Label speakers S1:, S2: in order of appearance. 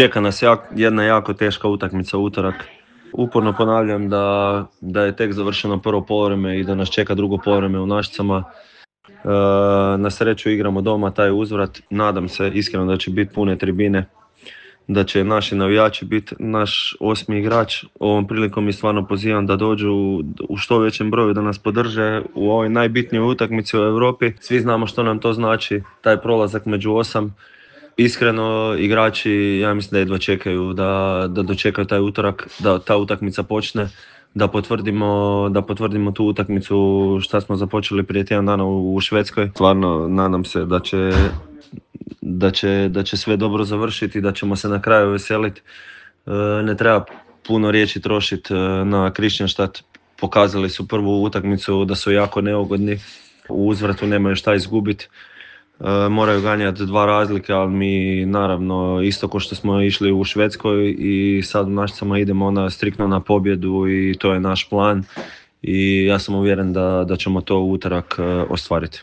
S1: Čeka nas jedna jako teška utakmica u utorak. Uporno ponavljam da je tek završeno prvo poluvreme i da nas čeka drugo poluvreme u Našicama. Na sreću igramo doma taj uzvrat. Nadam se iskreno da će biti pune tribine, da će naši navijači biti naš 8. igrač. Ovom prilikom i stvarno pozivam da dođu u što većem broju da nas podrže u ovoj najbitnijoj utakmici u Europi. Svi znamo što nam to znači, taj prolazak među 8. Iskreno, igrači, ja mislim da jedva čekaju da dočekaju taj utorak, da ta utakmica počne, da potvrdimo tu utakmicu što smo započeli prije tjedan dana u Švedskoj. Stvarno nadam se da će sve dobro završiti i da ćemo se na kraju veseliti. Ne treba puno riječi trošiti na Kristianstad. Pokazali su prvu utakmicu da su jako neugodni. U uzvratu nemaju šta izgubiti. Moraju ganjati 2 razlike, ali mi naravno isto kao što smo išli u Švedskoj i sad u Našicama idemo striktno na pobjedu i to je naš plan i ja sam uvjeren da ćemo to u utorak ostvariti.